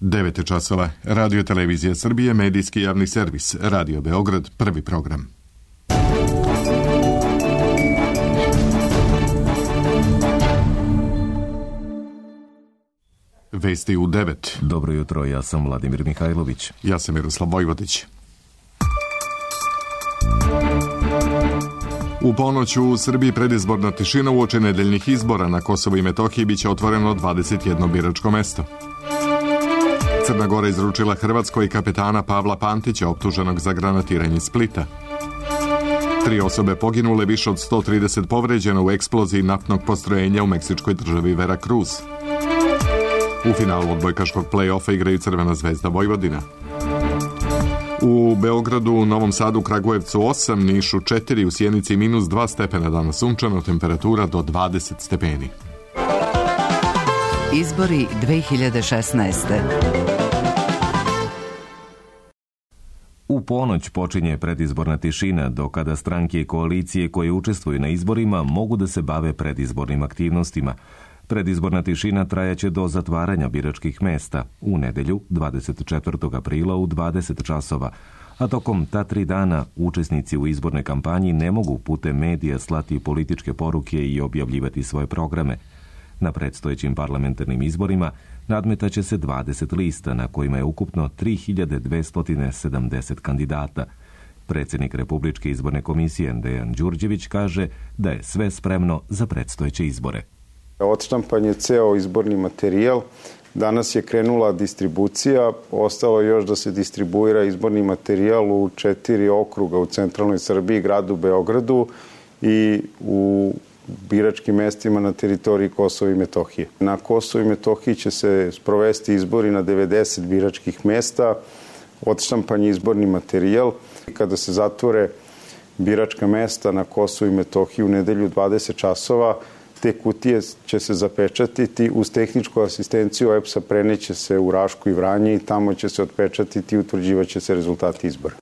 9 časova. Radio Televizija Srbije, medijski javni servis. Radio Beograd, prvi program. Vesti u 9. Dobro jutro, ja sam Vladimir Mihajlović. Ja sam Miroslav Vojvodić. U ponoć u Srbiji predizborna tišina uoči nedeljnih izbora. Na Kosovu i Metohiji biće otvoreno 21 biračko mesto. Crna Gora izručila Hrvatskoj kapetana Pavla Pantića, optuženog za granatiranje Splita. 3 osobe poginule, više od 130 povređeno u eksploziji naftnog postrojenja u meksičkoj državi Veracruz. U finalu odbojkaškog play-offa igraju Crvena zvezda Vojvodina. U Beogradu, Novom Sadu, Kragujevcu 8, Nišu 4, u Sjenici -2 stepena, danas sunčano, temperatura do 20 stepeni. Izbori 2016. U ponoć počinje predizborna tišina, do kada stranke i koalicije koje učestvuju na izborima mogu da se bave predizbornim aktivnostima. Predizborna tišina trajaće do zatvaranja biračkih mesta u nedelju 24. aprila u 20 časova, a tokom ta 3 dana učesnici u izbornoj kampanji ne mogu putem medija slati političke poruke i objavljivati svoje programe. Na predstojećim parlamentarnim izborima nadmetaće se 20 lista na kojima je ukupno 3270 kandidata. Predsjednik Republičke izborne komisije Dejan Đurđević kaže da je sve spremno za predstojeće izbore. Odštampan je ceo izborni materijal. Danas je krenula distribucija. Ostalo je još da se distribuira izborni materijal u 4 okruga u centralnoj Srbiji, gradu Beogradu i u biračkim mestima na teritoriji Kosova i Metohije. Na Kosovu i Metohiji će se sprovesti izbori na 90 biračkih mesta. Odštampan je izborni materijal. Kada se zatvore biračka mesta na Kosovu i Metohiji u nedelju 20 časova, te kutije će se zapečatiti, uz tehničku asistenciju EPS-a preneće se u Rašku i Vranje i tamo će se otpečatiti i utvrđivaće se rezultati izbora.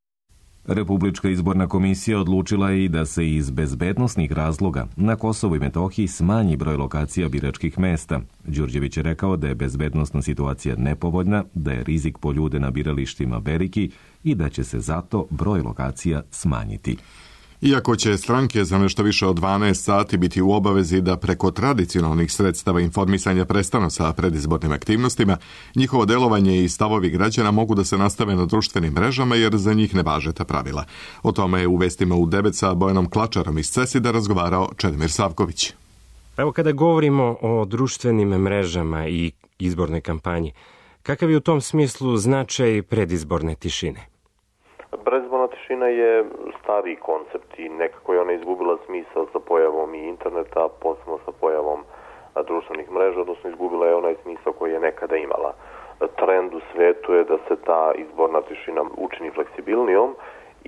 Republička izborna komisija odlučila je i da se iz bezbednosnih razloga na Kosovu i Metohiji smanji broj lokacija biračkih mesta. Đurđević je rekao da je bezbednosna situacija nepovoljna, da je rizik po ljude na biralištima veliki i da će se zato broj lokacija smanjiti. Iako će stranke za nešto više od 12 sati biti u obavezi da preko tradicionalnih sredstava informisanja prestanu sa predizbornim aktivnostima, njihovo delovanje i stavovi građana mogu da se nastave na društvenim mrežama jer za njih ne važe ta pravila. O tome je u vestima u 9 sa Bojanom Klačarom iz CESID-a razgovarao Čedomir Savković. Evo, kada govorimo o društvenim mrežama i izbornoj kampanji, kakav je u tom smislu značaj predizborne tišine? Predizborna tišina je stariji koncept i nekako je ona izgubila smisao sa pojavom i interneta, posebno sa pojavom društvenih mreža, odnosno izgubila je onaj smisao koji je nekada imala. Trend u svetu je da se ta izborna tišina učini fleksibilnijom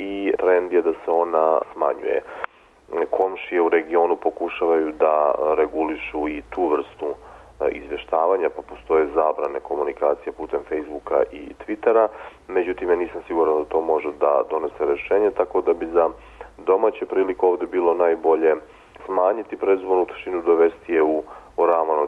i trend je da se ona smanjuje. Komšije u regionu pokušavaju da regulišu i tu vrstu izveštavanja, pa postoje zabrane komunikacije putem Facebooka i Twittera, međutim ja nisam siguran da to može da donese rešenje, tako da bi za domaće prilike ovde bilo najbolje smanjiti predizbornu tišinu, dovesti je u ravan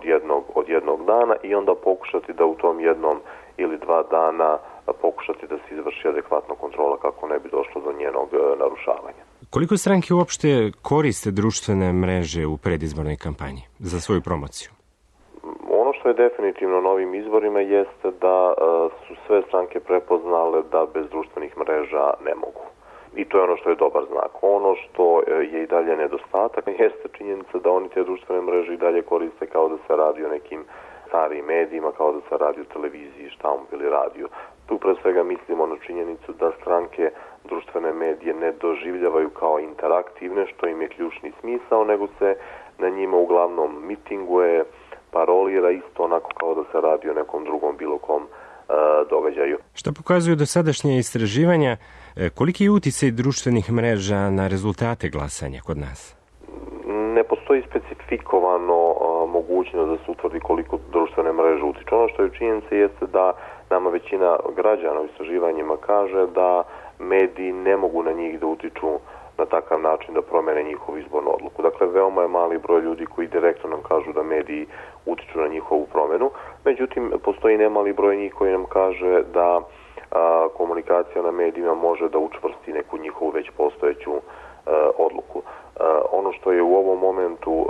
od jednog dana i onda pokušati da u tom jednom ili 2 dana pokušati da se izvrši adekvatna kontrola kako ne bi došlo do njenog narušavanja. Koliko stranke uopšte koriste društvene mreže u predizbornoj kampanji za svoju promociju? Ono što je definitivno na ovim izborima jeste da su sve stranke prepoznale da bez društvenih mreža ne mogu. I to je ono što je dobar znak. Ono što je i dalje nedostatak jeste činjenica da oni te društvene mreže i dalje koriste kao da se radi o nekim starijim medijima, kao da se radi o televiziji, štampu ili radiju. Tu pre svega mislimo na činjenicu da stranke društvene medije ne doživljavaju kao interaktivne, što im je ključni smisao, nego se na njima uglavnom mitinguje, parolira isto onako kao da se radi o nekom drugom bilo kom događaju. Šta pokazuju dosadašnje istraživanja, koliki je uticaj društvenih mreža na rezultate glasanja kod nas? Ne postoji specifikovano mogućnost da se utvrdi koliko društvene mreže utiču. Ono što je činjenica jeste da nama većina građana u istraživanjima kaže da mediji ne mogu na njih da utiču na takav način da promene njihovu izbornu odluku. Dakle, veoma je mali broj ljudi koji direktno nam kažu da mediji utiču na njihovu promenu. Međutim, postoji nemali broj njih koji nam kaže da komunikacija na medijima može da učvrsti neku njihovu već postojeću odluku. Ono što je u ovom momentu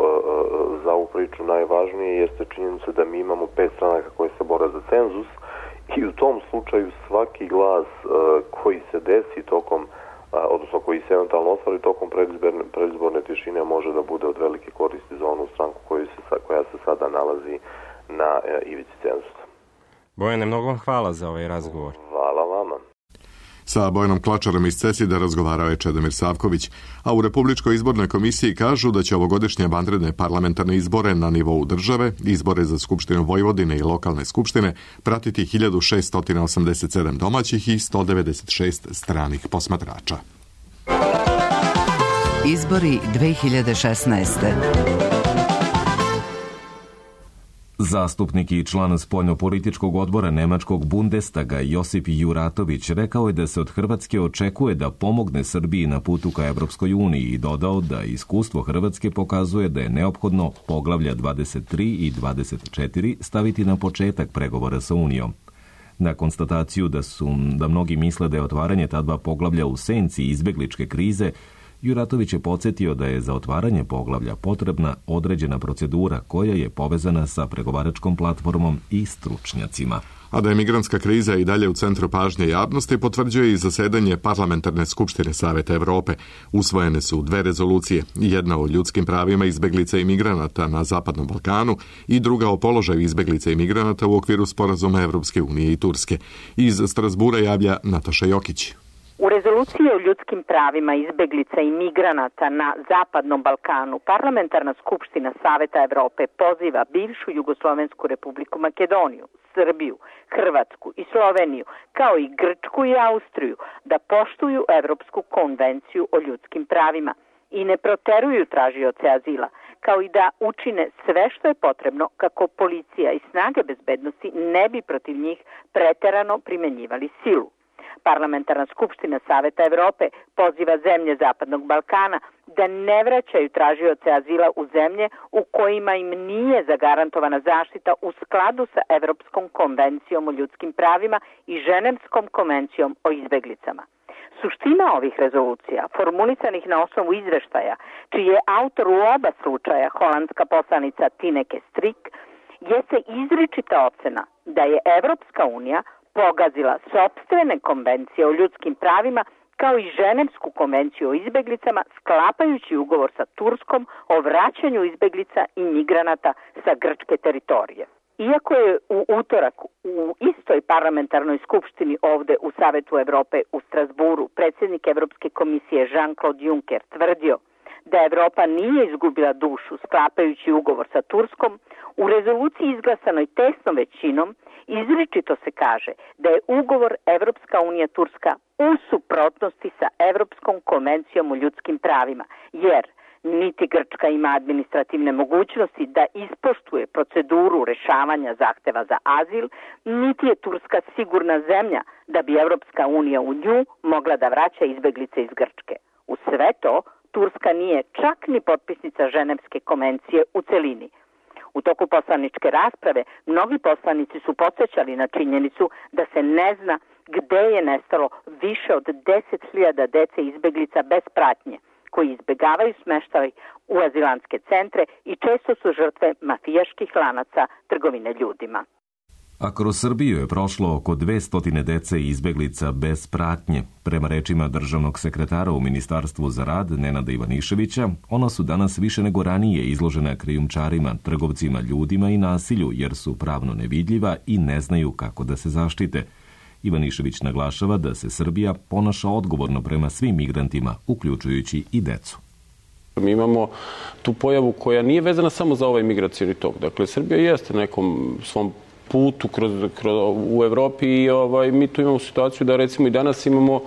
za ovu priču najvažnije jeste činjenica da mi imamo 5 stranaka koje se bore za cenzus i u tom slučaju svaki glas koji se desi tokom, odnosno koji se eventualno ostvari tokom predizborne tišine može da bude od velike koristi za onu stranku koja se sada nalazi na ivici cenzusa. Bojane, mnogo vam hvala za ovaj razgovor. Hvala vama. Sa Bojanom Klačarom iz Cesida razgovarao je Čedomir Savković, a u Republičkoj izbornoj komisiji kažu da će ovogodišnje vanredne parlamentarne izbore na nivou države, izbore za Skupštinu Vojvodine i lokalne skupštine, pratiti 1687 domaćih i 196 stranih posmatrača. Izbori 2016. Zastupnik i član spoljnopolitičkog odbora Nemačkog Bundestaga Josip Juratović rekao je da se od Hrvatske očekuje da pomogne Srbiji na putu ka Evropskoj uniji i dodao da iskustvo Hrvatske pokazuje da je neophodno poglavlja 23 i 24 staviti na početak pregovora sa Unijom. Na konstataciju da mnogi misle da je otvaranje ta dva poglavlja u senci izbegličke krize, Juratović je podsjetio da je za otvaranje poglavlja potrebna određena procedura koja je povezana sa pregovaračkom platformom i stručnjacima. A da je migrantska kriza i dalje u centru pažnje javnosti potvrđuje i zasedanje Parlamentarne skupštine Saveta Evrope. Usvojene su 2 rezolucije, jedna o ljudskim pravima izbeglica i migranata na Zapadnom Balkanu i druga o položaju izbeglica i migranata u okviru sporazuma Evropske unije i Turske. Iz Strasbura javlja Nataša Jokić. U rezoluciji o ljudskim pravima izbeglica i migranata na Zapadnom Balkanu Parlamentarna skupština Saveta Evrope poziva bivšu Jugoslovensku republiku Makedoniju, Srbiju, Hrvatsku i Sloveniju, kao i Grčku i Austriju, da poštuju Evropsku konvenciju o ljudskim pravima i ne proteruju tražioce azila, kao i da učine sve što je potrebno kako policija i snage bezbednosti ne bi protiv njih preterano primenjivali silu. Parlamentarna skupština Saveta Evrope poziva zemlje Zapadnog Balkana da ne vraćaju tražioce azila u zemlje u kojima im nije zagarantovana zaštita u skladu sa Evropskom konvencijom o ljudskim pravima i Ženevskom konvencijom o izbeglicama. Suština ovih rezolucija, formulisanih na osnovu izveštaja, čiji je autor u oba slučaja holandska poslanica Tineke Strik, jeste izričita ocena da je Evropska unija pogazila sopstvene konvencije o ljudskim pravima kao i Ženevsku konvenciju o izbeglicama, sklapajući ugovor sa Turskom o vraćanju izbeglica i migranata sa grčke teritorije. Iako je u utorak u istoj parlamentarnoj skupštini ovde u Savetu Evrope u Strasburu predsjednik Evropske komisije Jean-Claude Juncker tvrdio da Evropa nije izgubila dušu sklapajući ugovor sa Turskom, u rezoluciji izglasanoj tesnom većinom izričito se kaže da je ugovor Evropska unija Turska u suprotnosti sa Evropskom konvencijom o ljudskim pravima, jer niti Grčka ima administrativne mogućnosti da ispoštuje proceduru rešavanja zahteva za azil, niti je Turska sigurna zemlja da bi Evropska unija u nju mogla da vraća izbeglice iz Grčke. U sve to, Turska nije čak ni potpisnica Ženevske konvencije u celini. U toku poslaničke rasprave mnogi poslanici su podsjećali na činjenicu da se ne zna gde je nestalo više od 10.000 dece izbeglica bez pratnje, koji izbegavaju smeštaj u azilantske centre i često su žrtve mafijaških lanaca trgovine ljudima. A kroz Srbiju je prošlo oko 200 dece i izbeglica bez pratnje. Prema rečima državnog sekretara u Ministarstvu za rad Nenada Ivaniševića, ona su danas više nego ranije izložena krijumčarima, trgovcima ljudima i nasilju, jer su pravno nevidljiva i ne znaju kako da se zaštite. Ivanišević naglašava da se Srbija ponaša odgovorno prema svim migrantima, uključujući i decu. Mi imamo tu pojavu koja nije vezana samo za ovaj migracioni tok. Dakle, Srbija jeste na nekom svom putu u Evropi i mi tu imamo situaciju da recimo i danas imamo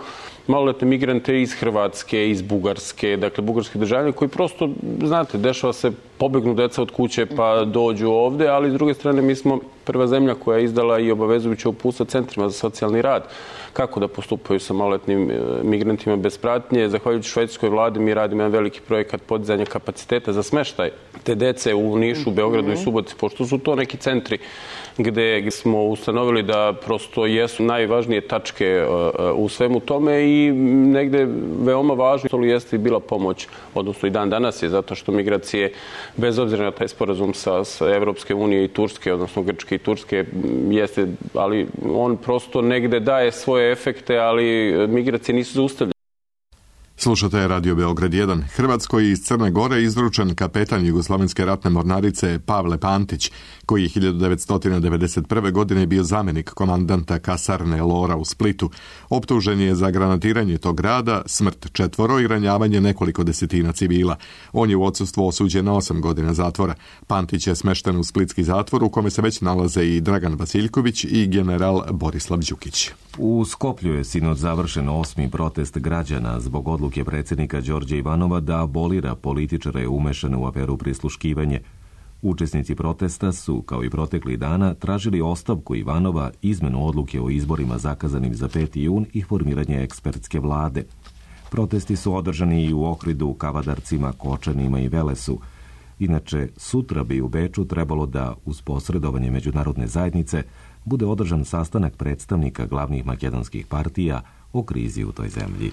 maloletne migrante iz Hrvatske, iz Bugarske, dakle bugarski državljani koji prosto, znate, dešava se, pobegnu deca od kuće pa dođu ovde, ali s druge strane mi smo prva zemlja koja je izdala i obavezujuće uputstva centrima za socijalni rad kako da postupaju sa maloletnim migrantima bez pratnje. Zahvaljujući švedskoj vladi mi radimo jedan veliki projekat podizanja kapaciteta za smeštaj te dece u Nišu, Beogradu i Subotici, pošto su to neki centri gde smo ustanovili da prosto jesu najvažnije tačke u svemu tome i negde veoma važno jeste i bila pomoć, odnosno i dan danas je, zato što migracije, bez obzira na taj sporazum sa Evropske unije i Turske, odnosno Grčke i Turske, jeste, ali on prosto negde daje svoje efekte, ali migracije nisu zaustavljene. Slušate Radio Beograd 1. Hrvatskoj iz Crne Gore izručen kapetan Jugoslovenske ratne mornarice Pavle Pantić, koji je 1991. godine bio zamjenik komandanta kasarne Lora u Splitu. Optužen je za granatiranje tog grada, smrt 4 i ranjavanje nekoliko desetina civila. On je u odsustvu osuđen na 8 godina zatvora. Pantić je smešten u splitski zatvor u kome se već nalaze i Dragan Vasiljković i general Borislav Đukić. U Skoplju je sinoć završen 8. protest građana zbog odluke predsjednika Đorđa Ivanova da abolira političare umešane u aferu prisluškivanje. Učesnici protesta su, kao i proteklih dana, tražili ostavku Ivanova, izmenu odluke o izborima zakazanim za 5. jun i formiranje ekspertske vlade. Protesti su održani i u Ohridu, Kavadarcima, Kočanima i Velesu. Inače, sutra bi u Beču trebalo da, uz posredovanje međunarodne zajednice, bude održan sastanak predstavnika glavnih makedonskih partija o krizi u toj zemlji.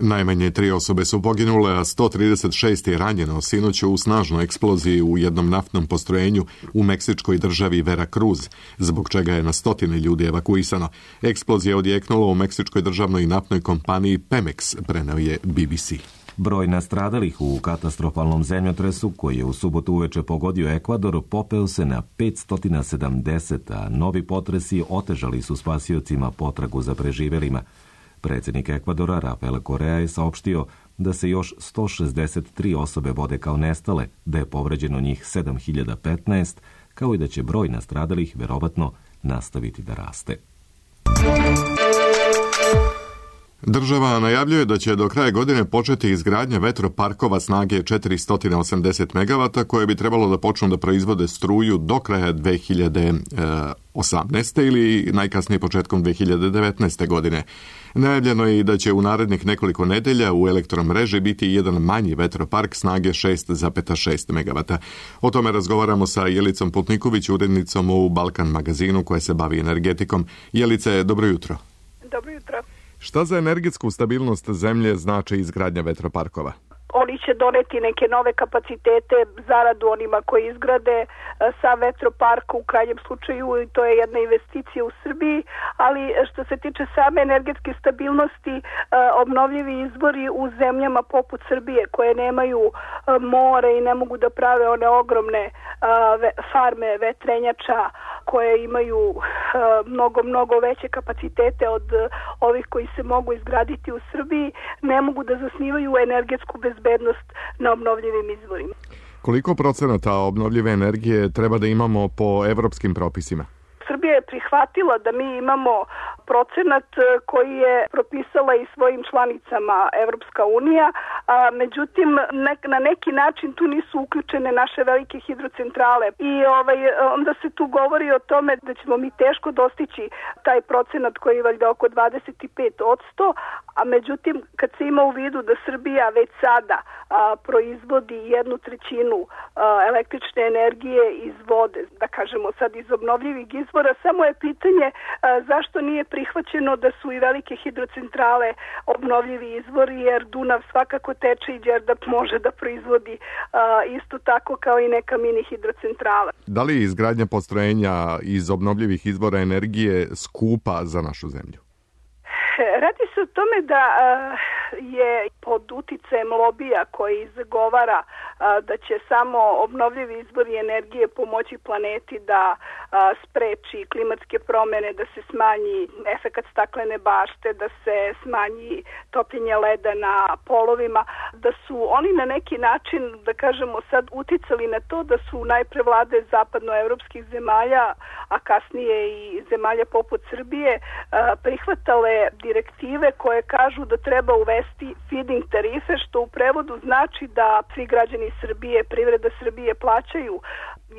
Najmanje 3 osobe su poginule, a 136 je ranjeno sinoć u snažnoj eksploziji u jednom naftnom postrojenju u meksičkoj državi Veracruz, zbog čega je na stotine ljudi evakuisano. Eksplozija odjeknula u meksičkoj državnoj naftnoj kompaniji Pemex, preneo je BBC. Broj nastradalih u katastrofalnom zemljotresu koji je u subotu uveče pogodio Ekvador popeo se na 570, a novi potresi otežali su spasiocima potragu za preživelima. Predsjednik Ekvadora Rafael Correa je saopštio da se još 163 osobe vode kao nestale, da je povređeno njih 7015, kao i da će broj nastradalih verovatno nastaviti da raste. Država najavljuje da će do kraja godine početi izgradnja vetroparkova snage 480 MW koje bi trebalo da počnu da proizvode struju do kraja 2018. ili najkasnije početkom 2019. godine. Najavljeno je i da će u narednih nekoliko nedelja u elektromreži biti jedan manji vetropark snage 6,6 MW. O tome razgovaramo sa Jelicom Putniković, urednicom u Balkan magazinu koja se bavi energetikom. Jelice, dobro jutro. Dobro jutro. Šta za energetsku stabilnost zemlje znači izgradnja vetroparkova? Oni će doneti neke nove kapacitete, zaradu onima koji izgrade sa vetroparka u krajnjem slučaju, i to je jedna investicija u Srbiji, ali što se tiče same energetske stabilnosti, obnovljivi izvori u zemljama poput Srbije koje nemaju more i ne mogu da prave one ogromne farme vetrenjača koje imaju mnogo veće kapacitete od ovih koji se mogu izgraditi u Srbiji, ne mogu da zasnivaju energetsku bezbednost na obnovljivim izvorima. Koliko procenata obnovljive energije treba da imamo po evropskim propisima? Srbija je prihvatila da mi imamo procenat koji je propisala i svojim članicama Evropska unija, međutim na neki način tu nisu uključene naše velike hidrocentrale i onda se tu govori o tome da ćemo mi teško dostići taj procenat koji je valjda oko 25%, a međutim kad se ima u vidu da Srbija već sada proizvodi 1/3 električne energije iz vode, da kažemo sad iz obnovljivih izvora, samo je pitanje zašto nije prihvaćeno da su i velike hidrocentrale obnovljivi izvori, jer Dunav svakako teče i Đerdap može da proizvodi isto tako kao i neka mini hidrocentrala. Da li je izgradnja postrojenja iz obnovljivih izvora energije skupa za našu zemlju? Radi se o tome da je pod uticajem lobija koji zagovara da će samo obnovljivi izvori energije pomoći planeti da spreči klimatske promene, da se smanji efekat staklene bašte, da se smanji topljenje leda na polovima, da su oni na neki način, da kažemo sad, uticali na to da su najpre vlade zapadnoevropskih zemalja, a kasnije i zemalja poput Srbije, prihvatale direktive koje kažu da treba uvesti feed-in tarife, što u prevodu znači da svi građani Srbije, privreda Srbije plaćaju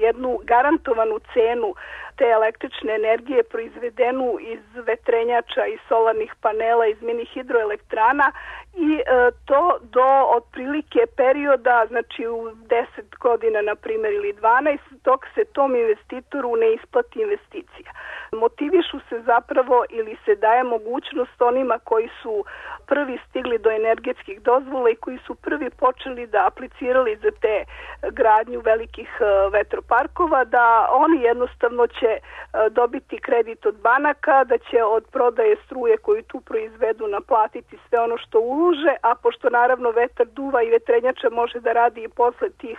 jednu garantovanu cenu te električne energije proizvedenu iz vetrenjača, iz solarnih panela, iz mini hidroelektrana i to do otprilike perioda, znači u 10 godina na primjer ili 12, dok se tom investitoru ne isplati investicija. Motivišu se zapravo ili se daje mogućnost onima koji su prvi stigli do energetskih dozvola i koji su prvi počeli da aplicirali za te gradnju velikih vetroparkova, da oni jednostavno će dobiti kredit od banaka, da će od prodaje struje koju tu proizvedu naplatiti sve ono što ulože, a pošto naravno vetar duva i vetrenjača može da radi i posle tih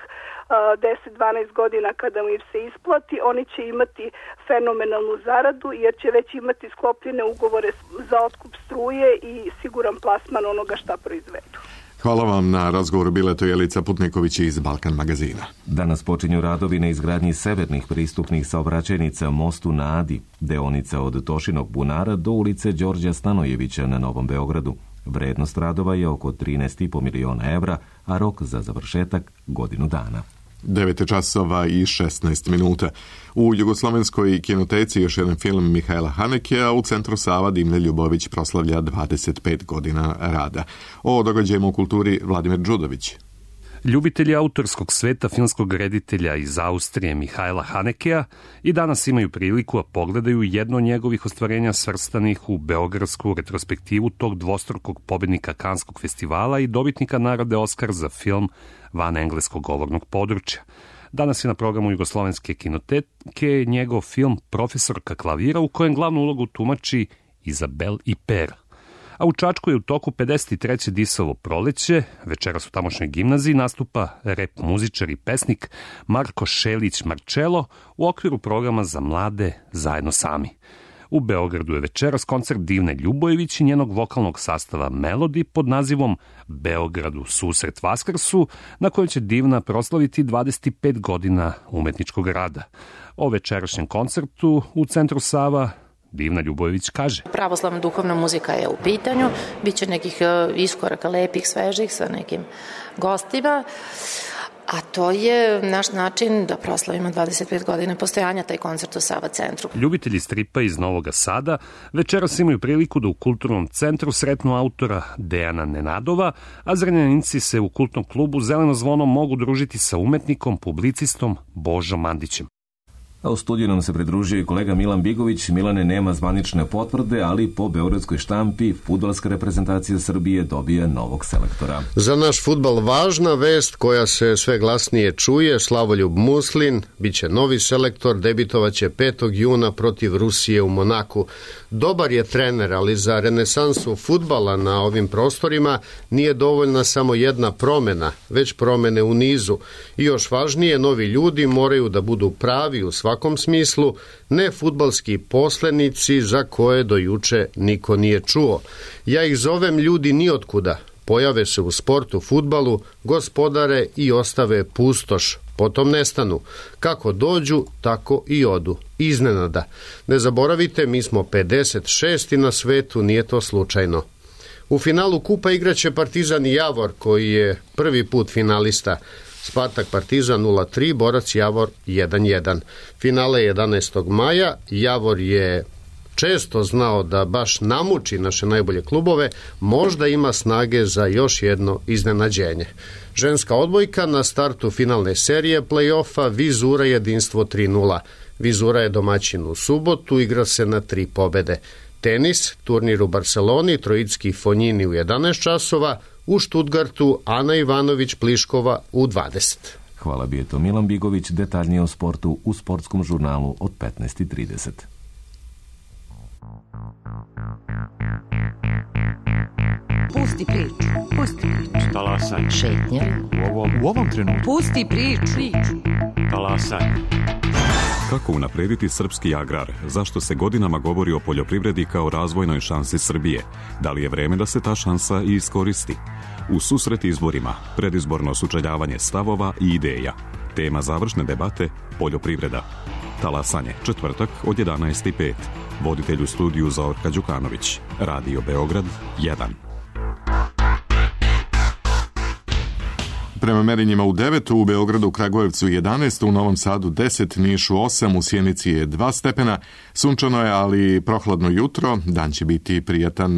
10-12 godina kada im se isplati, oni će imati fenomenalnu zaradu jer će već imati sklopljene ugovore za otkup struje i siguran plasman onoga šta proizvedu. Hvala vam na razgovoru. Bila je to Jelica Putniković iz Balkan magazina. Danas počinju radovi na izgradnji severnih pristupnih saobraćajnica mostu na Adi, deonica od Tošinog bunara do ulice Đorđa Stanojevića na Novom Beogradu. Vrednost radova je oko 13,5 miliona evra, a rok za završetak godinu dana. 9:16. U Jugoslovenskoj kinoteci još jedan film Mihajla Hanekija, u Centru Sava Dimne Ljubović proslavlja 25 godina rada. O događajima u kulturi Vladimir Đudović. Ljubitelji autorskog sveta filmskog reditelja iz Austrije Mihajla Hanekeja i danas imaju priliku da pogledaju jedno od njegovih ostvarenja svrstanih u beogradsku retrospektivu tog dvostrukog pobednika Kanskog festivala i dobitnika nagrade Oskar za film van engleskog govornog područja. Danas je na programu Jugoslovenske kinoteke njegov film Profesorka klavira, u kojem glavnu ulogu tumači Izabel i Per. A u Čačku je u toku 53. Disovo proleće. Večeras u tamošnjoj gimnaziji nastupa rep muzičar i pesnik Marko Šelić Marčelo u okviru programa za mlade Zajedno sami. U Beogradu je večeras koncert Divne Ljubojević i njenog vokalnog sastava Melodi pod nazivom Beogradu susret Vaskrsu, na kojem će Divna proslaviti 25 godina umetničkog rada. O večerašnjem koncertu u Centru Sava Divna Ljubojević kaže: Pravoslavna duhovna muzika je u pitanju, bit će nekih iskoraka lepih, svežih sa nekim gostima, a to je naš način da proslavimo 25 godina postojanja taj koncert u Sava centru. Ljubitelji stripa iz Novog Sada večeras imaju priliku da u kulturnom centru sretnu autora Dejana Nenadova, a Zrenjaninci se u kultnom klubu Zeleno zvono mogu družiti sa umetnikom, publicistom Božom Mandićem. A u studiju nam se pridružio i kolega Milan Bigović. Milane, nema zvanične potvrde, ali po beogradskoj štampi fudbalska reprezentacija Srbije dobije novog selektora. Za naš fudbal važna vest koja se sve glasnije čuje: Slavoljub Muslin biće novi selektor, debitovaće 5. juna protiv Rusije u Monaku. Dobar je trener, ali za renesansu fudbala na ovim prostorima nije dovoljna samo jedna promena, već promene u nizu. I još važnije, novi ljudi moraju da budu pravi u svakom smislu, ne fudbalski poslenici za koje do juče niko nije čuo. Ja ih zovem ljudi nijotkuda. Pojave se u sportu, fudbalu, gospodare i ostave pustoš. Potom nestanu. Kako dođu, tako i odu. Iznenada. Ne zaboravite, mi smo 56. na svetu, nije to slučajno. U finalu kupa igraće Partizan i Javor, koji je prvi put finalista. Spartak Partizan 0-3, Borac Javor 1-1. Finale 11. maja. Javor je često znao da baš namuči naše najbolje klubove, možda ima snage za još jedno iznenađenje. Ženska odbojka na startu finalne serije play-offa Vizura jedinstvo 3-0. Vizura je domaćin u subotu, igra se na 3 pobede. Tenis, turnir u Barceloni, Trojicki Fonjini u 11 časova, u Štutgartu Ana Ivanović-Pliškova u 20. Hvala, bio je to Milan Bigović. Detaljnije o sportu u sportskom žurnalu od 15:30. Pusti priču. Pusti priču. Talasaj. Šetnja. U ovom trenutku. Pusti priču. Talasaj. Kako unaprediti srpski agrar? Zašto se godinama govori o poljoprivredi kao razvojnoj šansi Srbije? Da li je vreme da se ta šansa i iskoristi? U susret izborima, predizborno sučeljavanje stavova i ideja. Tema završne debate, poljoprivreda. Talasanje, četvrtak od 11:05. Voditelj u studiju Zorka Đukanović. Radio Beograd 1. Prema merenjima u 9, u Beogradu, u Kragujevcu 11, u Novom Sadu 10, Nišu 8, u Sjenici je 2 stepena. Sunčano je, ali prohladno jutro. Dan će biti prijatan.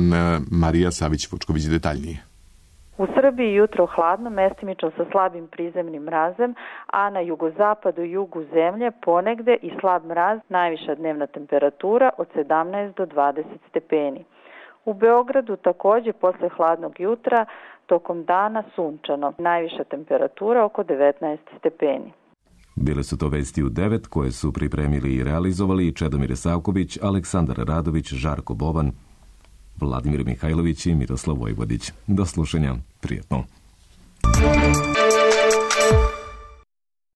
Marija Savić-Vučković detaljnije. U Srbiji jutro hladno, mestimično sa slabim prizemnim mrazem, a na jugozapadu i jugu zemlje ponegde i slab mraz, najviša dnevna temperatura od 17 do 20 stepeni. U Beogradu takođe posle hladnog jutra tokom dana sunčano, najviša temperatura oko 19 stepeni. Bile su to vesti u 9 koje su pripremili i realizovali Čedomir Savković, Aleksandar Radović, Žarko Boban, Vladimir Mihajlović i Miroslav Vojvodić. Do slušanja, prijatno.